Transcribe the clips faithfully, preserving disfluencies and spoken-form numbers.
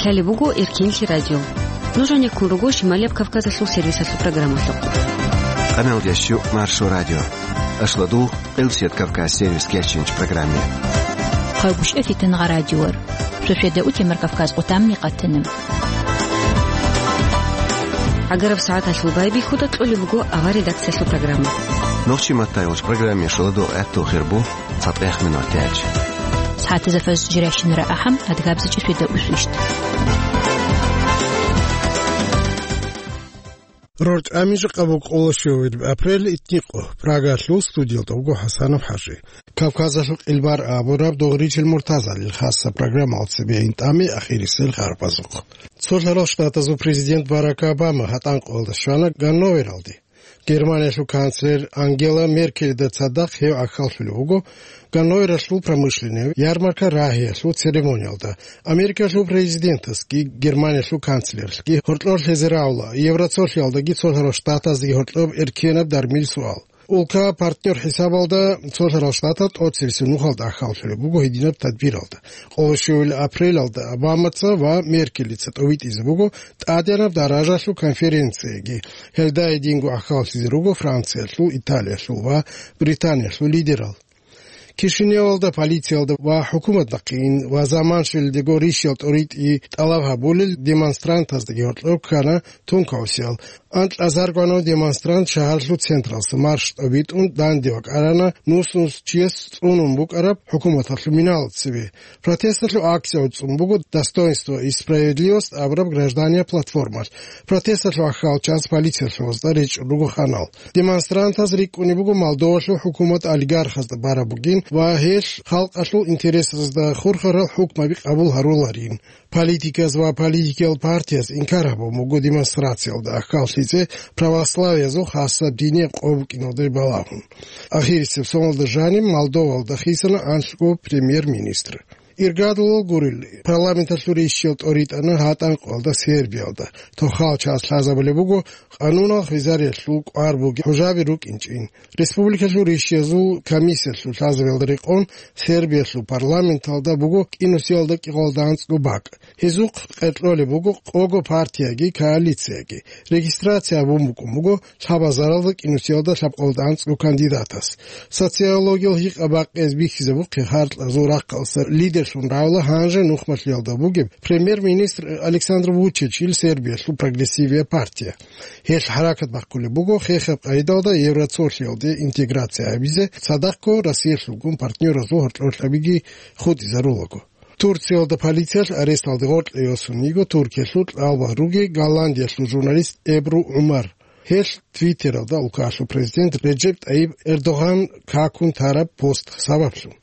Лъалеб буго Эркинлъи радио. Нуж гьанеккун руго Шималияб Кавказалъул сервисалъул программалъухъ. Къаналдящу Маршо радио. Ашладул Къилсият Кавказ сервис кечинч программе. Хъайбушев Фитнагъа радиор. Шошеда утемар Кавказ къутамми къатана. Агараб сагӀаталъул байбихьуда кьолеб буго авар редакциялъул программа. Нохчи маттайолч программе шоладо гӀаттул хирбу цатӀех минут тяч. СагӀатазафаз жиращинара ахӀам адгабзачӀи шведа усвищт. РорчӀами жакъа буго къоло щуабилеб апрель, итникъо. Прагалъул студиялда вуго ХӀасанов ХӀажи. Кавказалъул къилбар абураб Дугъричил Муртазалил хасса программалда цебе интӀаме ахирисел харпазухъ. Цолъарал Штатазул президент Барак Обама гьатӀан къоялда щвана Ганновералде. Германиялъул канцлер Ангела Меркелида цадахъ гьев гӀахьаллъулев вуго Ганновералъул промышленный ярмарка рагьиялъул церемониялда. Америкалъул президентасги, Германиялъул канцлерлъги гьоркьор лъезе равла, Евроцолъиялдаги Цолъарал Штатаздаги гьоркьоб эркенаб дармил суал. Улка-партнер хӀисабалда Цолъарал Штатал тӀоцебесеб нухалда гӀахьаллъулеб буго гьединаб тадбиралда. Къоло щуабилеб апрелалда Обамаца ва Меркелица тӀовитӀизе буго тӀадегӀанаб даражалъул конференцияги. Гьелда гьединго гӀахьаллъизе руго Франциялъул, Италиялъул ва Британиялъул лидерал. Кишиневалда полициялда ва хӀукуматалъ ва заман щвелдего рищал тӀоритӀи тӀалаб гьабулел демонстрантаздаги гьоркьор ккана тункаусиял. Анкьазаргванав демонстрант шагьарлъул централъа марш тӀобитӀун данде вакӀарана, нус-нус чияс цӀунун букӀараб хӀукуматалъул миналда цебе. Протесталъул акция гӀуцӀун буго «Достоинство и справедливость» абураб гражданиял платформалъ. Протесталъул гӀахьалчияс полициялъул гьозда речӀчӀун руго ханал. Демонстрантаз рикӀкӀунеб буго Молдовалъул хӀукумат олигархазда бараб бугин ва гьелъ халкъалъул интересазда хурхарал хӀукмаби къабул гьаруларин. Политиказ ва политикиял партияз инкар гьабун буго демонстрациялда гӀахьаллъизе православиязул хасаб динияб къо букӀиналде балагьун. Ахирисеб соналда жаниб Молдовалда хисана анлъго премьер-министр. Иргадулал гурел, парламенталъул рищал тӀоритӀана гьатӀан къоялда Сербиялда. Тохал час лъазабулеб буго къанунал хвезариялъул кӀвар бугеб хӀужаби рукӀинчӀин. Республикалъул рищиязул комиссиялъул лъазабиялда рекъон Сербиялъул парламенталда буго кӀинусиялда кӀикъоялда анцӀго бакӀ. Гьезухъ къеркьолеб буго къого партияги коалицияги. Регистрация гьабун букӀун буго лъабазаралда кӀинусиялда лъабкъоялда анцӀго кандидатас. Социологиял гьикъа бакъизе бихьизабухъе гьаркьазул рахъалъа лидерлъун равла гьанже нухмалъиялда бугеб премьер-министр Александр Вучичил Сербиялъул прогрессивиял партия. Гьелъ хӀаракат бахъулеб буго хехаб къайдалда Евроцолъиялде интеграция гьабизе, цадахъго Россиялъулгун партнёразул гьоркьорлъабиги хутӀизарулаго. Турциялда полициялъ аресталде гъоркье йосун йиго Туркиялъул кьалбагъ руги Голландиялъул журналист Эбру ГӀумар. Гьелъ Твиттералда улкаялъул президент Реджеп ТӀайиб Эрдоган какун тараб пост сабаблъун.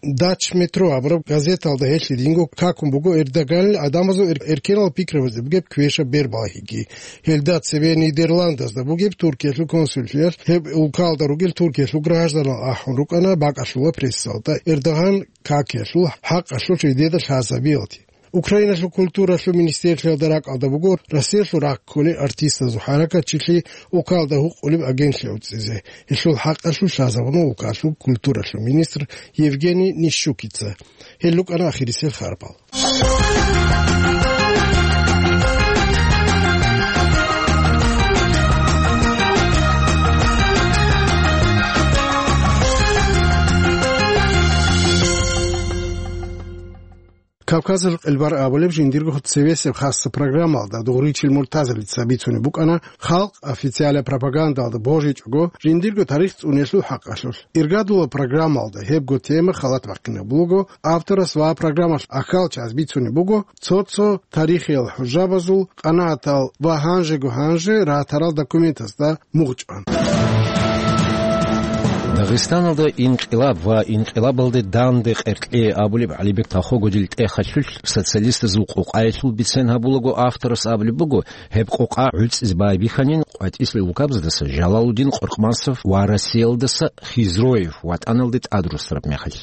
Дач Метро абураб газеталда гьелъ гьединго какун буго Эрдоганил гӀадамазул эр-, эркенал пикрабазде бугеб квешаб бербалагьиги. Гьелда цебе Нидерландазда бугеб Туркиялъул консуллъиялъ гьеб улкалда ругел Туркиялъул гражданал ахӀун рукӀана бакӀалъула прессалда Эрдоган какиялъул хӀакъалъулъ жидеда лъазабиялде. Украиналъул культуралъул министрлъиялда ракӀалда буго Россиялъул рахъ кколел артистазул хӀаракатчилъи улкалда гьукъулеб агентлъи гӀуцӀизе. Гьелъул хӀакъалъулъ лъазабуна улкалъул культуралъул министр Евгений Нищукица. Гьел рукӀана ахирисел харпал. Кавказалъул къилбар абулеб жиндирго цевесеб хасса программалда Дугъричил Муртазалица бицунеб букӀана халкъ официалаб пропагандалда божичӀого жиндирго тарих цӀуниялъул хӀакъалъулъ. Иргадулаб программалда гьебго тема халат бахъинаб буго авторас ва программалъ ахьалчияс бицунеб буго цо-цо тарихиял хӀужабазул къанагӀатал ва гьанжего-гьанже ратарал документазда мугъчӀван. Дагъистаналда инкъилаб ва инкъилабалде данде къеркье абулеб ГӀалибек Тахогудил тӀехалъулъ социалистазул къокъаялъул бицен гьабулаго авторас абулеб буго, гьеб къокъа гӀуцӀизе байбихьанин къватӀислъи улкабаздаса Жалалудин Къоркъмасов ва Россиялдаса Хизроев ватӀаналде тӀад росараб мехалъ.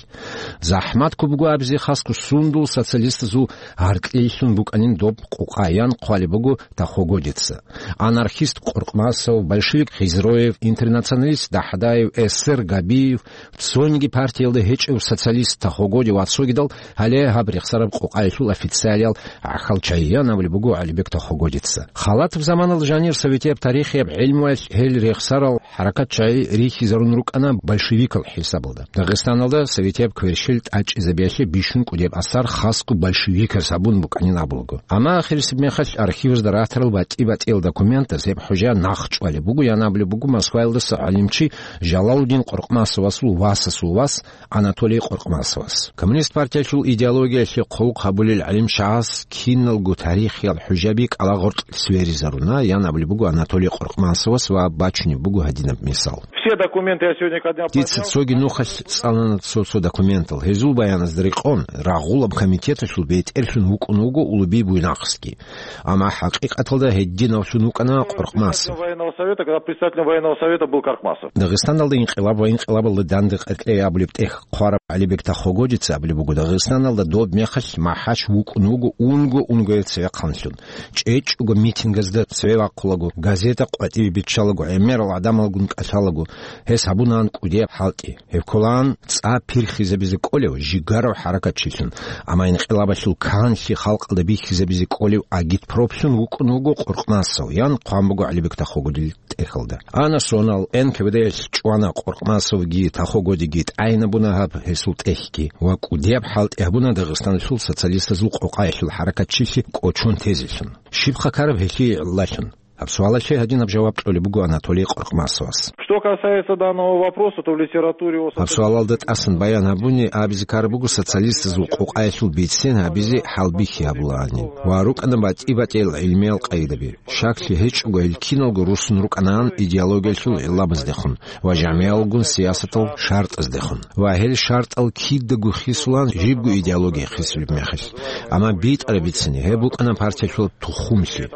ЗахӀмат ккун буго абизе хасго сундул социалистазул гьаркьлъилъун букӀанин доб къокъа, ян хъвалеб буго Тахогудица. Анархист Къоркъмасов, большевик Хизроев, интернационалист Дахдаев, эсер Абиев, цониги партиялда гьечӀев социалист Тахогоди ва цогидал, гьале гьаб рехсараб къокъаялъул официалиял гӀахьал чагӀиян абулеб буго ГӀалибек Тахогодица. Халатаб заманалда жанир советияб тарихияб гӀелмуялъ гьел рехсарал хӀаракат чагӀи рихьизарун рукӀана большевикал хӀисабалда. Дагъистаналда советияб кверщел тӀачӀизабиялъе бищун кӀудияб асар хасго большевиказ гьабун букӀанин абулаго. Амма ахирисеб мехалъ архивазда ратарал батӀи-батӀиял документаз гьеб хӀужа нахъ чӀвалеб буго, ян абулеб буго Москваялдаса гӀалимчи Жалалудин Къоркъмасовасул васасул вас Анатолий Къоркъмасовас. Коммунист партиялъул идеологиялъе хъулухъ гьабулел гӀалимчагӀаз киналго тарихиял хӀужаби кӀалагъоркь сверизаруна, ян абулеб буго Анатолий Къоркъмасовас ва бачунеб буго гьадинаб мисал. Все документы я сегодня ко дня Дица поднял. Цоги нухалъ цӀалана цо-цо документал. Гьезул баяназда рекъон, рагъулаб комитеталъул бетӀерлъун вукӀун вуго Улуби Буйнаксги. Амма хӀакъикъаталда гьединавлъун вукӀана Къоркъмасов. Военного совета, когда председателем военного совета был Каркмасов. Дагъистаналда инкъилаб ва инкъилабалда данде къеркьей абулеб тӀехь хъвараб ГӀалибек Тахогодица абулеб буго, Дагъистаналда доб мехалъ МахӀач вукӀун вуго унго-унгояв цевехъанлъун. ЧӀечӀого митингазда цеве вахъулаго, газета къватӀибе биччалаго, гӀемерал гӀадамалгун кӀалъалаго, гьес гьабунаан кӀудияб хӀалтӀи. Гьеб кколаан цӀа пирхизабизе кӀолев жигарав хӀаракатчилъун, амма инкъилабалъул канлъи халкъалда бихьизабизе кӀолев агитпроплъун вукӀун вуго Къоркъмасов, ян хъван буго ГӀалибек Тахогодил тӀехьалда. Ана сонал, НКВД-ялъ чӀвана Къоркъмасовги Тахогодиги, тӀайинабуна гьаб гьесул тӀехьги ва кӀудияб хӀалтӀи гьабуна Дагъистаналъул социалистазул къокъаялъул хӀаракатчилъи кӀочон тезелъун. Щиб хъакараб гьелъие гӀиллалъун? Гьаб суалалъе гьадинаб жаваб кьолеб буго Анатолий Къоркъмасовас. Что касается данного вопроса, то в литературе о Гьаб суалалда тӀасан баян гьабуни абизе ккараб буго социалистазул къокъаялъул бицен гьабизе хӀалбихьи гьабулаанин ва рукӀана батӀи-батӀиял гӀилмиял къайдаби. Щаклъи гьечӀого гьел киналго руссун рукӀанаан идеологиялъул гӀиллабаздехун ва жамигӀалгун сиясатал шартӀаздехун. Ва гьел шартӀал кидаго хисулаан жибго идеология хисулеб мехалъ. Амма битӀараб бицани гьеб букӀана партиялъул тухумлъи.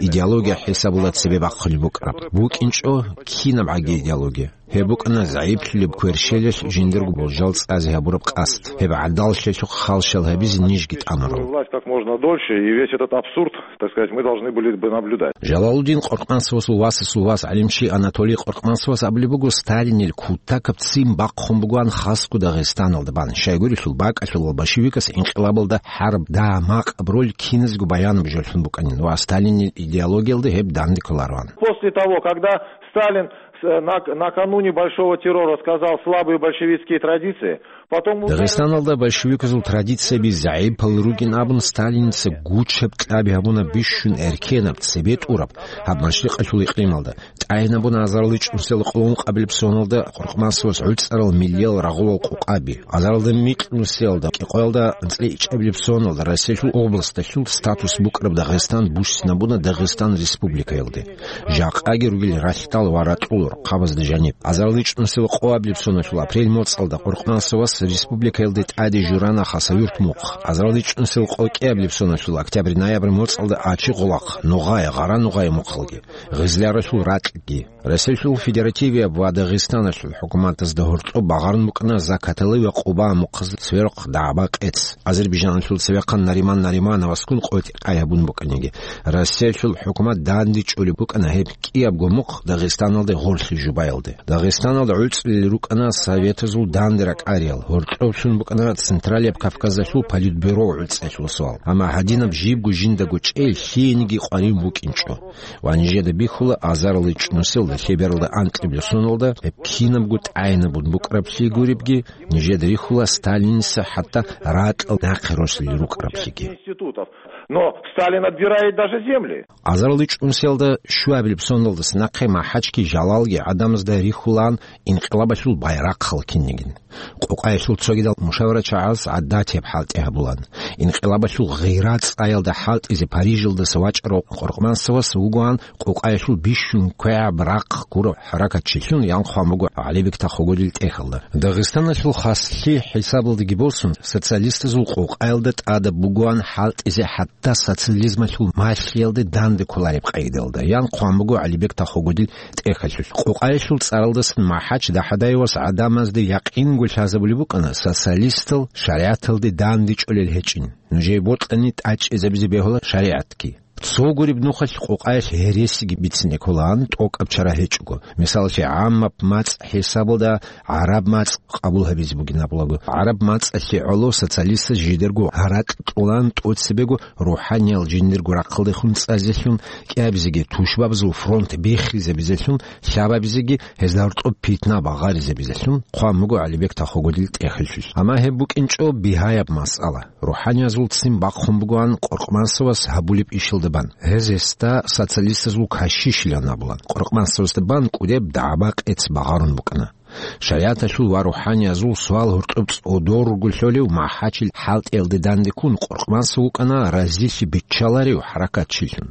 Идеология хӀисабула цебе бахъулеб букӀараб. БукӀинчӀо кинаб гӀаги идеология. Гьеб букӀана загӀиплъулеб кверщелалъ жиндирго болжал цӀазе гьабураб къасд. Гьеб гӀадаллъиялъухъ халщал гьабизе нижги тӀамурал. Власть как можно дольше, и весь этот абсурд, так сказать, мы должны были бы наблюдать. Жалалудин Къоркъмасовасул васасул вас гӀалимчи Анатолий Къоркъмасовас абулеб буго, Сталинил кутакаб ццин бахъун бугоан хасго Дагъистаналда бан. Щайгурелъул бакӀалъулал большевикас инкъилабалда хӀарб дагьа-макъаб роль киназго баянаб жолъун букӀанин ва Сталинил идеологиялда гьеб данде кколароан. После того, когда Сталин с-, нак-, накануне Большого террора сказал «слабые большевистские традиции», потом Дагъистаналда большевиказул традицияби загӀипал ругин абун, Сталинца гучаб кьаби гьабуна бищун эркенаб, цебе тӀураб гьаб машрикъалъул икълималда. ТӀайинабуна азарилчӀунсел къоло ункъабилеб соналда Къоркъмасовас гӀуцӀарал миллиял рагъулал къокъаби. Азарилда микьнусиялда кӀикъоялда анцӀила ичӀабилеб соналда Россиялъул областалъул статус букӀараб Дагъистан буссинабуна Дагъистан Республикаялде. Жакъаги ругел ралъдал ва ракьул рахъабазда жаниб. АзарилчӀунсел къоабилеб соналъул апрель моцӀалда Къоркъмасовас республикаялде тӀаде журана Хасавюрт мухъ. АзарилчӀунсел къокӀиабилеб соналъул октябрь-ноябрь моцӀалда Ачи-Гъулахъ, Нугъай, Гъара-Нугъай мухъалги, Гъизляралъул ракьги. Россиялъул Федеративияб ва Дагъистаналъул хӀукуматазда гьоркьоб багъарун букӀана Закатали ва Къуба мухъаз цверухъ дагӀба-къец. Азербайжаналъул цевехъан Нариман Наримановаскун къотӀи-къай гьабун букӀаниги, Россиялъул хӀукумат данде чӀолеб букӀана гьеб кӀиябго мухъ Дагъистаналде гъорлъи жубаялде. Дагъистаналда гӀуцӀулел рукӀана советазул данде ракӀариял, гьоркьоблъун букӀана Централияб Кавказалъул политбюро гӀуцӀиялъул суал. Амма гьадинаб жибго жиндаго чӀей лъиениги къварин букӀинчӀо. Ва нижеда бихьула, азарилчӀунсел лъебералда анкьабилеб соналда гьеб кинабго тӀайинабун букӀараблъи гуребги, нижеда рихьула Сталинца хӀатта ракьал нахъе росулел рукӀараблъиги. Институтов. Но Сталин отбирает даже земли. АзарилчӀунсиялда щуабилеб соналдаса нахъе МахӀачги Жалалги гӀадамазда рихьулаан инкъилабалъул байрахъал кинигин. Къокъаялъул цогидал мушаварачагӀаз гӀадатияб хӀалтӀи гьабулан. Инкъилабалъул гъира цӀаялда хӀалтӀизе Парижалдаса вачӀарав Къоркъмасовас вугоан къокъаялъул бищун квегӀаб рахъ гурав хӀаракатчилъун, ян хъван буго ГӀалибек Тахогодил тӀехьалда. Дагъистаналъул хаслъи хӀисабалдаги босун, социалистазул къокъаялда тӀадаб бугоан хӀалтӀизе хӀатта социализмалъул малъиялде данде кколареб къайдалда, ян хъван буго ГӀалибек Тахогодил тӀехьалъулъ. Къокъаялъул цӀаралдасан МахӀач ДахӀадаевас гӀадамазда якъинго лъазабулеб букӀана социалистал шаригӀаталде данде чӀолел гьечӀин. Нужее бокьани тӀачӀизабизе бегьула шаригӀатги. Цо гуреб нухалъ къокъаялъ гьересиги бицине кколаан, тӀокӀаб чара гьечӀого. Мисалалъе, гӀаммаб мацӀ хӀисабалда гӀараб мацӀ къабул гьабизе бугин абулаго. ГӀараб мацӀалъе гӀоло социалистаз жидерго гьаракь кьолаан тӀоцебего рухӀаниял жиндирго рахъалдехун цӀазелъун, кӀиабизеги тушбабазул фронт биххизабизелъун, лъабабизеги гьезда гьоркьоб питна багъаризабизелъун хъван буго ГӀалибек Тахогодил тӀехьалъулъ. Амма гьеб букӀинчӀо бигьаяб масъала. РухӀаниязул ццин бахъун бугоан Къоркъмасовас гьабулеб ишалда бан. Гьез гьесда социалистазул кашишилан абулан. Къоркъмасовасда бан кӀудеб дагӀба-къец багъарун букӀана. ШаригӀаталъул ва рухӀаниязул суал гьоркьоб цӀодор руго лъолев МахӀачил хӀалтӀиялде дандеккун, Къоркъмасов вукӀана разилъи биччаларев хӀаракатчилъун.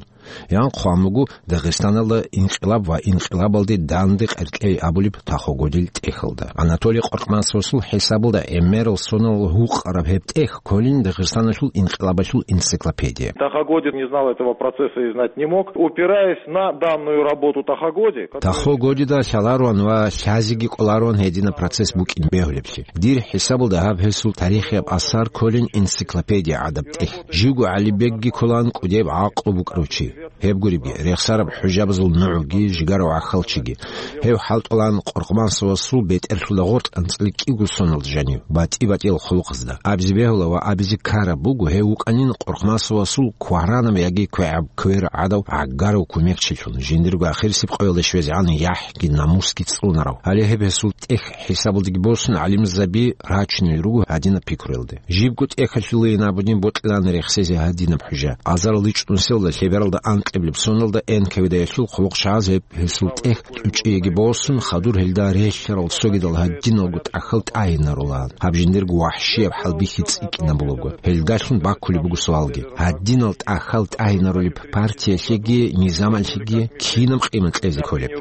Ян хъван буго Дагъистаналда инкъилаб ва инкъилабалде данде къеркьей абулеб Тахогодил тӀехьалда. Анатолий Къоркъмасовасул хӀисабалда гӀемерал соналъ гьукъараб гьеб тӀехь кколин Дагъистаналъул инкъилабалъул энциклопедия. Тахо Годин не знал этого процесса и знать не мог. Упираясь на данную работу Тахо Годи, которая... Тахо Годида лъаларуан ва лъазеги кӀоларуан гьединаб процесс букӀин бегьулеблъи. Дир хӀисабалда гьаб гьесул тарихияб асар кколин энциклопедия гӀадаб тӀехь. Живго ГӀалибекги кколаан кӀудеб гӀакълу букӀарав чи. Гьеб гуребги, рехсараб хӀужабазул нугӀги, жигарав гӀахьалчиги. Гьев хӀалтӀулаан Къоркъмасовасул бетӀерлъуда гъоркь анцӀила кӀиго соналда жанив, батӀи-батӀиял хъулухъазда. Абизе бегьула ва абизе ккараб буго, гьев вукӀанин Къоркъмасовасул кваранаб яги квегӀаб квер гӀадав гӀагарав кумекчилъун, жиндирго ахирисеб къоялда щвезегӀан яхӀги намусги цӀунарав. Гьале гьеб гьесул тӀехь хӀисабалдаги босун, гӀалимзаби рачунел руго гьадинаб пикруялде. Жибго тӀехьалъулейин абунин бокьилаан рехсезе гьадинаб хӀужа. Азарал ичӀнусиялда лъебералда анкьиблеб соналда Н К В Д-ялъул хъулухъчагӀаз гьеб гьесул тӀехь тӀучӀиеги босун, хадур гьелда релълъарал цогидал гьадиналго тӀахьал тӀагьинарулаан. Гьаб жиндирго вахӀщияб хӀалбихьи цӀикӀкӀинабулаго. Гьелдалъун баккулеб буго суалги: гьадинал тӀахьал тӀагьинарулеб партиялъеги низамалъеги кинаб къимат кьезе кколеб?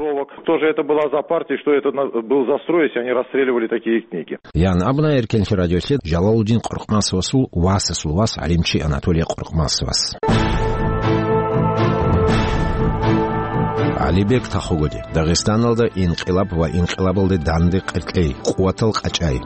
Что же это была за партия, что это на-, был за строй, если они расстреливали такие книги? Ян абуна Эркенлъи радиолъе Жалалудин Къоркъмасовасул васасул вас гӀалимчи Анатолий Къоркъмасовас. ГӀалибек Тахогоди. Дагъистаналда инкъилаб ва инкъилабалде данде къеркьей, къуватал къачӀай.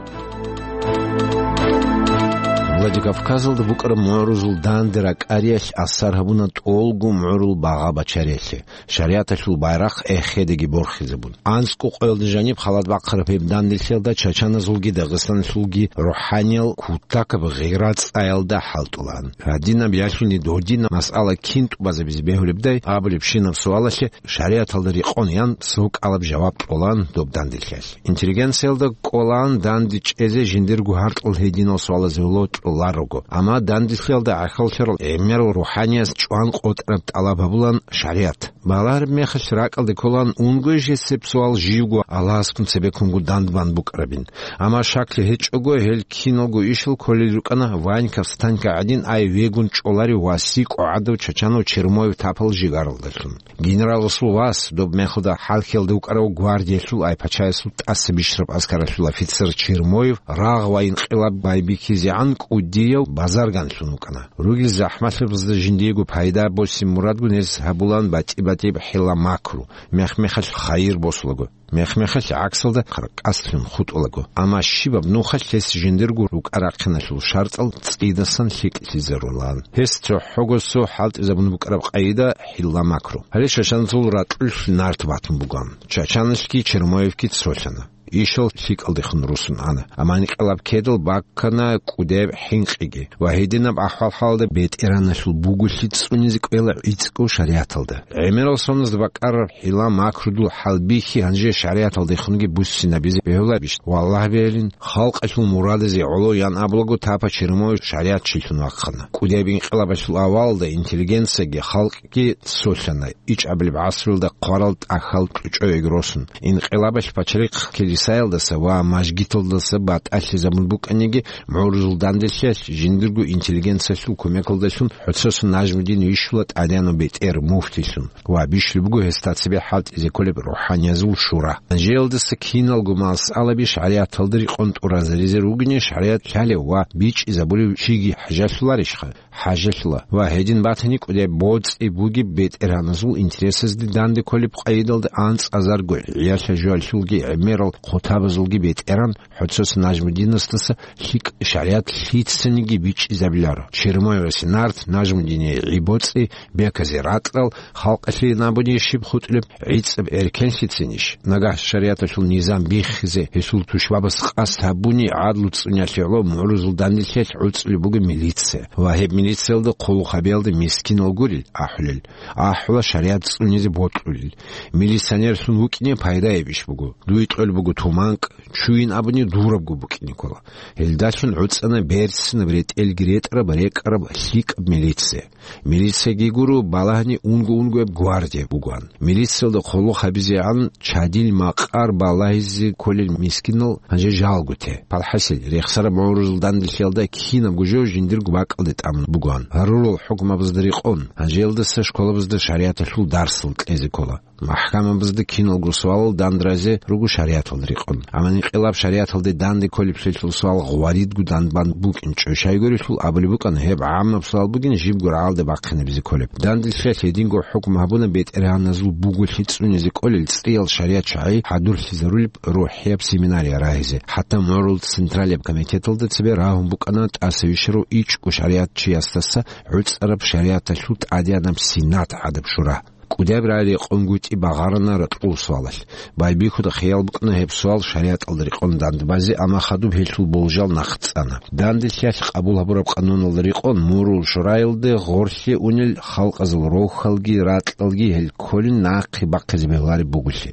Владикавказалда букӀараб мугӀрузул данде ракӀариялъ асар гьабуна тӀолго мугӀрул багъа бачариялъе. ШаригӀаталъул байрахъ эхедаги борхизабун. АнцӀго къоялда жаниб халат бахъараб гьеб данделъиялда чачаназулги дагъистанлъулги рухӀаниял кутакаб гъира-цӀаялда хӀалтӀулаан. Гьадинаб ялъуни додинаб масъала кин тӀубазабизе бегьулебдай абулебщинаб суалалъе шаригӀаталда рекъон ян цо кӀалаб жаваб кьолаан доб данделъиялъ. Интеллигенциялда кӀолаан данде чӀезе жиндирго гьаркьал гьединал суалазе локьуларого. Амма данделъиялда гӀахьаллъарал гӀемерал рухӀанияс чӀван къотӀараб тӀалаб гьабулаан шаригӀат. Балагьараб мехалъ ракӀалде кколаан унго жесеб суал живго Аллагьаскун цебеккунго дандбан букӀарабин. Амма шаклъи гьечӀого, гьел киналго ишал кколел рукӀана Ваньков Станька гӀадин ай вегун чӀоларев ва сикӀо гӀадав чачанав Чермоев тапал жигаралдалъун. Генераласул вас, доб мехалда хӀалхьиялда вукӀарав гвардиялъул ай пачаясул тӀаса бищараб аскаралъул офицер Чермоев рагъ ва инкъилаб байбихьизегӀан кӀудияв базарганлъун вукӀана. Ругел захӀмалъабазда жиндиего пайда босин мурадгун гьез гьабулаан батӀи-батӀияб хӀила-макру, мех-мехалъ хайир босулаго, мех-мехалъ гӀаксалда къаркъаслъун хутӀулаго. Амма щибаб нухалъ гьес жиндирго рукӀа-рахъиналъул шартӀал цӀидасан лъикӀлъизарулаан. Гьес цохӀого цо хӀалтӀизабун букӀараб къайда хӀила-макру. Гьале чачаназул ракьулъ нарт батун бугоан. Чачаналъги Чермоевги цолъана. Ишал лъикӀалдехун русун ана. Амма инкъилаб ккедал баккана кӀудеб хӀинкъиги. Ва гьединаб ахӀвал-хӀалда бетӀераналъул буголъи цӀунизе кӀвела гӀицӀго шаригӀаталда. ГӀемерал соназда бакӀараб хӀила-макрудул хӀалбихьи гьанже шаригӀаталдехунги буссинабизе бегьулабищ? Валлагь бегьилин, халкъалъул мурадазе гӀоло ян абулаго тапа Чермоев шаригӀатчилъун вахъана. КӀудеб инкъилабалъул авалалда интеллигенцияги халкъги цолъана, ичӀабилеб гӀасруялда хъварал тӀахьал чӀучӀояги росун. Инкъилабалъ пачарихъ килисаялдаса ва мажгиталдаса батӀалъизабун букӀаниги, мугӀрузул данделъиялъ жиндирго интеллигенциялъул кумекалдалъун ХӀуцесун Нажмудин вищула тӀадегӀанав бетӀер муфтилъун ва бищулеб буго гьесда цебе хӀалтӀизе кколеб рухӀаниязул шура. Гьанжеялдаса киналго масъалаби шаригӀаталда рекъон тӀуразаризе ругони, шаригӀат лъалев ва бичӀчӀизабулев чиги хӀажалъуларищха? ХӀажалъула. Ва гьедин батани кӀудеб боцӀи бугеб бетӀергьаназул интересазде данде кколеб къайдалда анцӀазарго гӀиялъа-жоялъулги гӀемерал хъутабазулги бетӀеран, ХӀоцос Нажмудинасдаса лъикӀ шаригӀат лъицаниги бичӀчӀизабиларо. Чермоевасе нарт, Нажмудине гӀи-боцӀи, беказе ракьал, халкъалъе абуни щиб хутӀулеб, гӀицӀаб эркенлъицинищ? Нагагь шаригӀаталъул низам биххизе гьесул тушбабас къасд гьабуни, гӀадлу цӀуниялъе гӀоло мугӀрузул данделъиялъ гӀуцӀулеб буго милиция. Ва гьеб милициялда хъулухъ гьабиялда мискинал гурел ахӀулел, ахӀула шаригӀат цӀунизе бокьулел. Милиционерлъун вукӀине пайдаябищ буго? Дуе кьолеб буго туманкӀ, чуйин абуни дурабго букӀине ккола. Гьелдалъун гӀуцӀана берцинаб, ретӀелги ретӀараб, рекӀараб лъикӀаб милиция. Милицияги гуро балагьани унго-унгояб гвардия бугоан. Милициялда хъулухъ гьабизегӀан чадил макъар балагьизе кколел мискинал гьанже жалго те. ПалхӀасил, рехсараб мугӀрузул данделъиялда кинабго жо жиндирго бакӀалде тӀамун бугоан. Гьарурал хӀукмабазда рекъон, гьанже гьелдаса школабазда шаригӀаталъул дарсал кьезе ккола. МахӀкамабазда киналго суалал дандразе руго шаригӀаталда рекъон. Амма инкъилаб шаригӀаталде данде кколеблъилъул суал гъваридго данбан букӀинчӀо. Щайгурелъул абулеб букӀана, гьеб гӀаммаб суал бугин, жибго рагӀалде бахъинабизе кколеб. Данделъиялъ гьединго хӀукму гьабуна бетӀергьаназул буголъи цӀунизе кколел цӀиял шаригӀат чагӀи хӀадурлъизарулеб рухӀияб семинария рагьизе. ХӀатта мугӀрул Централияб комитеталда цебе рагьун букӀана тӀаса вищарав ичӀго шаригӀатчиясдаса гӀуцӀараб шаригӀаталъул тӀадегӀанаб Сенат гӀадаб шура. КӀудияб рагӀи рекъонгутӀи багъарана ракьул суалалъ. Байбихьуда хиял букӀана гьеб суал шаригӀаталда рекъон дандбазе, амма хадуб гьелъул болжал нахъ цӀана. Данделъиялъ къабул гьабураб къануналда рекъон мугӀрул шураялде гъорлъе унел халкъазул рохьалги ракьалги гьел кколин нахъе бахъизе бегьулареб буголъи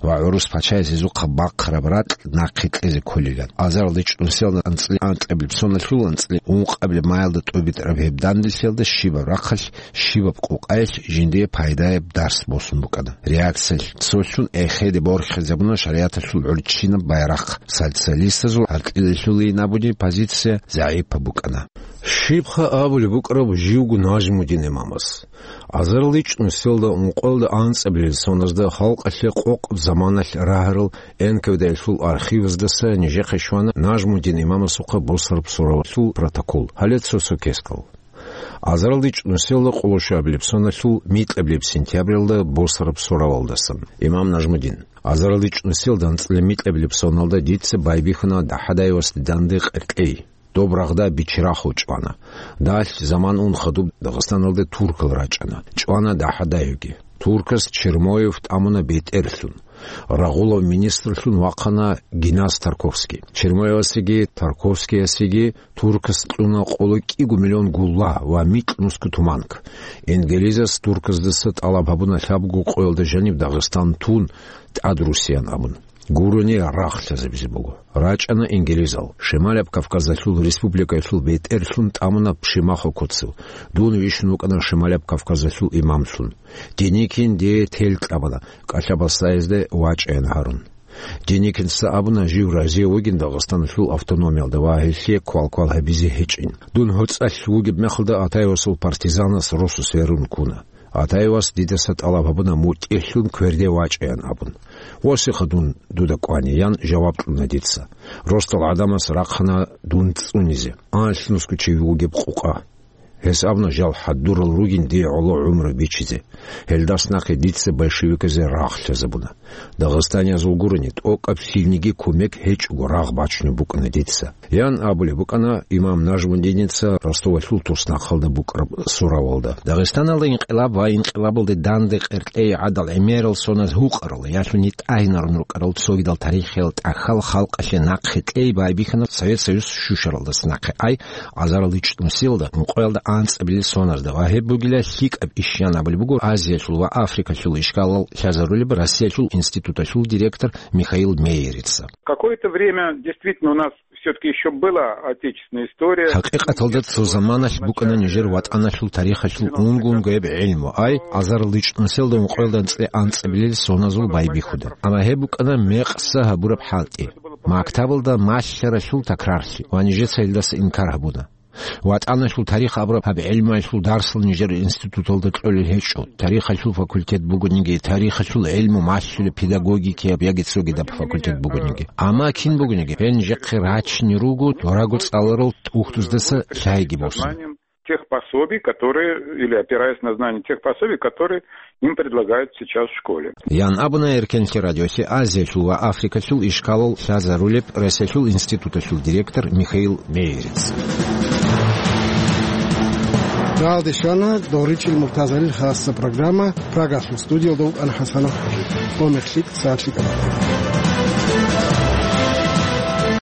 ва гӀурус пачаяс гьезухъа бахъараб ракь нахъе кьезе кколилан. Азаралда ичӀнусиялда анцӀила анкьабилеб соналъул анцӀила ункъабилеб маялда тӀубитӀараб гьеб данделъиялда щибаб рахъалъ, щибаб къукъаялъ жиндие пайдаяб дарс босун букӀана. Реакциялъ цолъун эхеде борхизабуна шаригӀаталъул гӀурччинаб байрахъ. Социалистазул гьаркьилалъулейин абуни позиция загӀипаб букӀана. Щибха абулеб букӀараб живго Нажмудин имамас? Азарал ичӀнусиялда ункъоялда анцӀабилел соназда халкъалъе къокъаб заманалъ рагьарал Н К В Д-ялъул архиваздаса нижехъе щвана Нажмудин имамасухъа босараб суравалъул протокол. Гьале цо-цо кескал. Азарал ичӀнусиялда къоло щуабилеб соналъул микьабилеб сентябралда босараб суравалдасан. Имам Нажмудин. Азарал ичӀнусиялда анцӀила микьабилеб соналда дица байбихьана ДахӀадаевасде данде къеркьей. Доб рагъда Бичерахъо чӀвана. Далъ заман ун хадуб Дагъистаналде туркал рачӀана. ЧӀвана ДахӀадаевги. Туркас Чермоев тӀамуна бетӀерлъун. Рагъулав министрлъун вахъана Генас Тарковский. Чермоевасеги Тарковскиясеги туркас кьуна къоло кӀиго миллион гулла ва микьнусго туманк. Ингилизас турказдаса тӀалаб гьабуна лъабго къоялда жаниб Дагъистан тун, тӀадрусиян абун. Гурони рагъ лъазабизе буго. РачӀана ингилизал. Шималаб Кавказалъул республикаялъул бетӀерлъун тӀамуна Пшимахо Коцев. Дун вищун вукӀана Шималаб Кавказалъул имамлъун. Деникин дие тел кьабана, кӀалъа-басдаязде вачӀаян гьарун. Деникинца абуна, жив разияв вугин Дагъистаналъул автономиялда ва гьелъие квал-квал гьабизе гьечӀин. Дун гьоцӀалъ вугеб мехалда Атаевасул партизанас росу сверун ккуна. Атаевас дидаса тӀалаб гьабуна мутӀигӀлъун кверде вачӀаян абун. «Восиха дун дуда кӀвани», — ян жаваб кьуна дица. Росдал гӀадамас рахъана дун цӀунизе. Анлънусго чи вугеб къукъа. Гьес абуна жал хӀадурал ругин дие гӀоло гӀумру бичизе. Гьелдас нахъе дица большевиказе рагъ лъазабуна. Дагъистаниязул гурони, тӀокӀаб лъилниги кумек гьечӀого рагъ бачунеб букӀана дица. Ян абулеб букӀана имам Нажмудиница Ростовалъул туснахъалда букӀараб суравалда. Дагъистаналда инкъилаб ва инкъилабалде данде къеркьей гӀадал гӀемерал соназ гьукъарал, ялъуни тӀагьинарун рукӀарал цогидал тарихиял тӀахьал халкъалъе нахъе кьей байбихьана Совет Союз щущаралдаса нахъе ай, азарал ичӀнусиялда, ункъоялда анцӀабилел соназда ва гьеб бугила лъикӀаб иш, ян абулеб буго Азиялъул ва Африкалъул ишкалал лъазарулеб Россиялъул институталъул директор Михаил Мейерица. Какое-то время действительно у нас все-таки еще была отечественная история. ХӀакъикъаталда цо заманалъ букӀана нижер ватӀаналъул тарихалъул унго-унгояб гӀилму, ай, азарал ичӀнусиялда ункъоялда анцӀ-, анцӀабилел соназул байбихьуда. Амма гьеб букӀана мекъса гьабураб хӀалтӀи. Мактабалда малъаралъул такрарлъи ва нижеца гьелдаса инкар гьабуна. ВатӀаналъул тарих абураб гьаб гӀилмуялъул дарсал нижер институталда кьолел гьечӀо. Тарихалъул факультет бугониги, тарихалъул гӀилму малъулеб педагогикияб яги цогидаб факультет бугониги. Амма кин бугониги, гьел нижехъе рачине руго дораго цӀаларал тӀухьдуздаса лъайги босун. тех пособий, которые, или опираясь на знания тех пособий, которые им предлагают сейчас в школе. Ян абуна Эркенлъи радиосе Азиялъул ва Африкалъул ишкалал лъазарулеб Россиялъул институталъул директор Михаил Мейерец. Галдешана Доричил Муртазалил хасса программа. Прагалъул студиялда вукӀана ХӀасанов ХӀажи. Гьумер лъикӀ, сагӀат лъикӀаб.